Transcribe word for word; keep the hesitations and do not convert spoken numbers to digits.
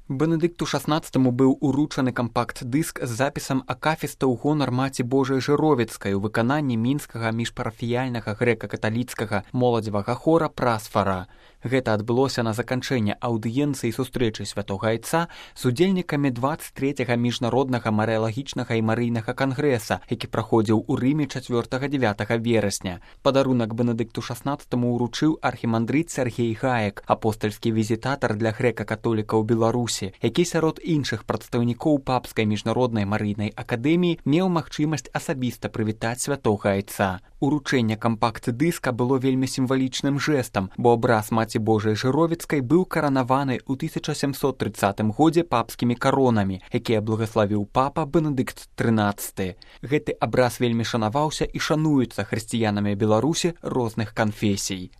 Бенедыкту шаснаццатаму быў уручаны кампакт-дыск з запісам акафіста ў гонар Маці Божай Жыровіцкай у выкананні мінскага міжпарафіяльнага грэка-каталіцкага моладзевага хора «Прасфара». Гэта адбылося на заканчэнне аўдыенцыі сустрэчы святога айца з удзельнікамі дваццаць трэцяга міжнароднага марыялагічнага і марыйнага кангрэса, які праходзіў у Рыме чацвёртага-дзявятага верасня. Падарунак Бенедыкту шаснаццатаму ўручыў архімандрыт Сяргей Гаек, апостальскі візітатар для грэка-католікаў Беларусі, які сярод іншых прадстаўнікоў папскай міжнароднай марыйнай акадэміі меў магчымасць асабіста прывітаць святога айца. Уручэнне кампакт-дыска было вельмі сімвалічным жэстам, бо абраз Маці Божай Жыровіцкай быў каранаваны ў тысяча сямсот трыццатым годзе папскімі каронамі, якія благаславіў папа Бенедыкт трынаццаты. Гэты абраз вельмі шанаваўся і шануецца хрысціянамі Беларусі розных канфесій.